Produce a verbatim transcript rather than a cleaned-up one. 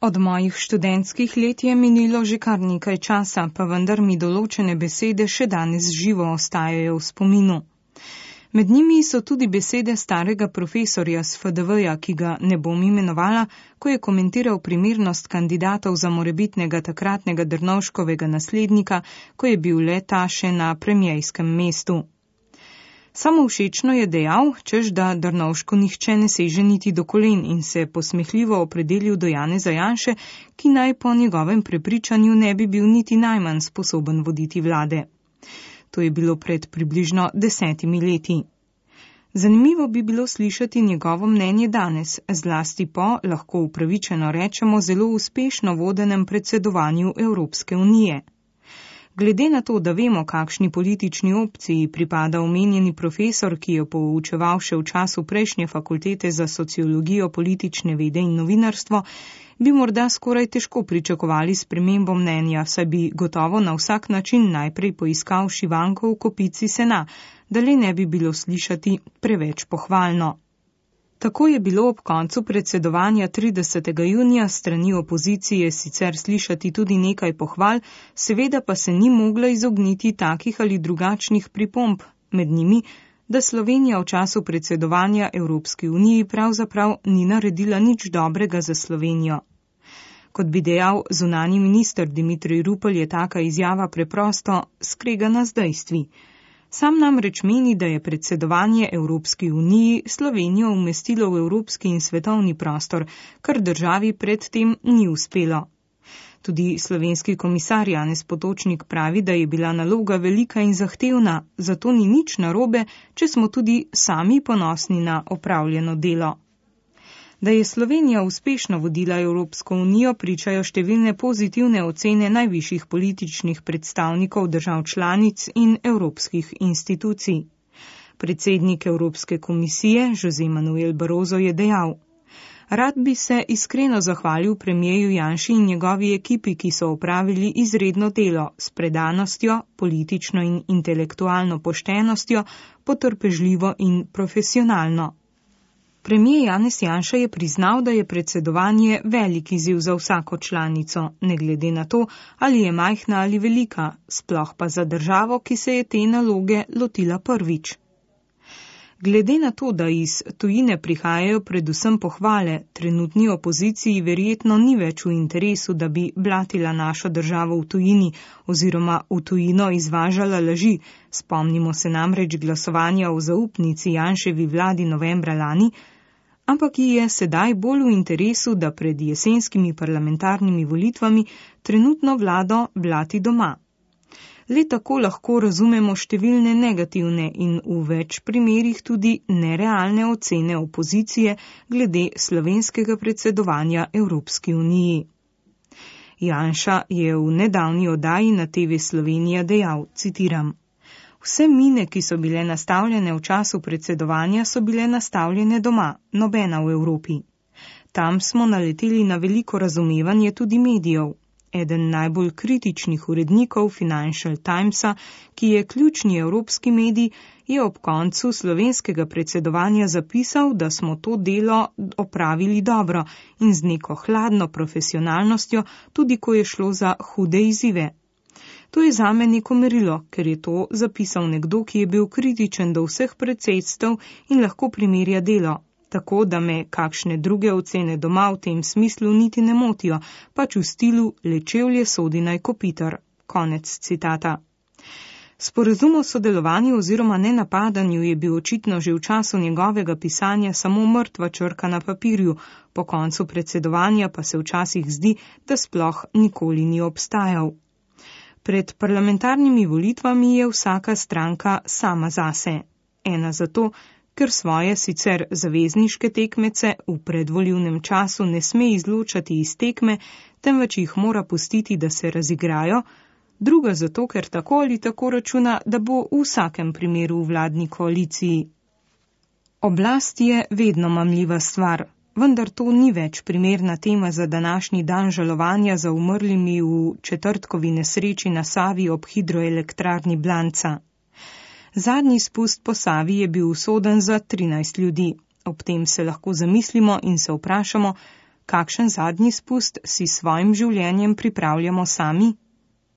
Od mojih študentskih let je minilo že kar nekaj časa, pa vendar mi določene besede še danes živo ostajajo v spominu. Med njimi so tudi besede starega profesorja z F D V-ja, ki ga ne bom imenovala, ko je komentiral primernost kandidatov za morebitnega takratnega Drnovškovega naslednika, ko je bil le ta še na premiejskem mestu. Samovšečno je dejal, češ da Drnovšku nihče ne seže niti do kolen in se posmehljivo opredelil do Janeza Janše, ki naj po njegovem prepričanju ne bi bil niti najmanj sposoben voditi vlade. To je bilo pred približno desetimi leti. Zanimivo bi bilo slišati njegovo mnenje danes, zlasti po, lahko upravičeno rečemo, zelo uspešno vodenem predsedovanju Evropske unije. Glede na to, da vemo, kakšni politični opciji pripada omenjeni profesor, ki je poučeval še v času prejšnje fakultete za sociologijo, politične vede in novinarstvo, bi morda skoraj težko pričakovali spremembo mnenja, saj bi gotovo na vsak način najprej poiskal šivanko v kopici sena, da le ne bi bilo slišati preveč pohvalno. Tako je bilo ob koncu predsedovanja tridesetega junija strani opozicije sicer slišati tudi nekaj pohval, seveda pa se ni mogla izogniti takih ali drugačnih pripomb, med njimi, da Slovenija v času predsedovanja Evropski uniji pravzaprav ni naredila nič dobrega za Slovenijo. Kot bi dejal zunanji minister Dimitrij Rupel, je taka izjava preprosto skregana z dejstvi. Sam namreč meni, da je predsedovanje Evropski uniji Slovenijo umestilo v evropski in svetovni prostor, kar državi predtem ni uspelo. Tudi slovenski komisar Janez Potočnik pravi, da je bila naloga velika in zahtevna, zato ni nič narobe, če smo tudi sami ponosni na opravljeno delo. Da je Slovenija uspešno vodila Evropsko unijo, pričajo številne pozitivne ocene najvišjih političnih predstavnikov držav članic in evropskih institucij. Predsednik Evropske komisije, José Manuel Barroso, je dejal: Rad bi se iskreno zahvalil premijeju Janši in njegovi ekipi, ki so opravili izredno delo s predanostjo, politično in intelektualno poštenostjo, potrpežljivo in profesionalno. Premijer Janez Janša je priznal, da je predsedovanje velik izziv za vsako članico, ne glede na to, ali je majhna ali velika, sploh pa za državo, ki se je te naloge lotila prvič. Glede na to, da iz tujine prihajajo predvsem pohvale, trenutni opoziciji verjetno ni več v interesu, da bi blatila našo državo v tujini oziroma v tujino izvažala laži, spomnimo se namreč glasovanja o zaupnici Janševi vladi novembra lani, ampak ji je sedaj bolj v interesu, da pred jesenskimi parlamentarnimi volitvami trenutno vlado blati doma. Le tako lahko razumemo številne negativne in v več primerih tudi nerealne ocene opozicije glede slovenskega predsedovanja Evropski uniji. Janša je v nedavni oddaji na T V Slovenija dejal, citiram: Vse mine, ki so bile nastavljene v času predsedovanja, so bile nastavljene doma, nobena v Evropi. Tam smo naleteli na veliko razumevanje tudi medijev. Eden najbolj kritičnih urednikov Financial Timesa, ki je ključni evropski medij, je ob koncu slovenskega predsedovanja zapisal, da smo to delo opravili dobro in z neko hladno profesionalnostjo, tudi ko je šlo za hude izzive. To je zame neko merilo, ker je to zapisal nekdo, ki je bil kritičen do vseh predsedstev in lahko primerja delo. Tako da me kakšne druge ocene doma v tem smislu niti ne motijo, pač v stilu lečevlje sodi naj kopitar. Konec citata. Sporazum o sodelovanju oziroma nenapadanju je bil očitno že v času njegovega pisanja samo mrtva črka na papirju, po koncu predsedovanja pa se včasih zdi, da sploh nikoli ni obstajal. Pred parlamentarnimi volitvami je vsaka stranka sama zase. Ena zato, ker svoje sicer zavezniške tekmece v predvolilnem času ne sme izločati iz tekme, temveč jih mora pustiti, da se razigrajo, druga zato, ker tako ali tako računa, da bo v vsakem primeru v vladni koaliciji. Oblast je vedno mamljiva stvar, vendar to ni več primerna tema za današnji dan žalovanja za umrlimi v četrtkovi nesreči na Savi ob hidroelektrarni Blanca. Zadnji spust po Savi je bil usoden za trinajst ljudi. Ob tem se lahko zamislimo in se vprašamo, kakšen zadnji spust si s svojim življenjem pripravljamo sami?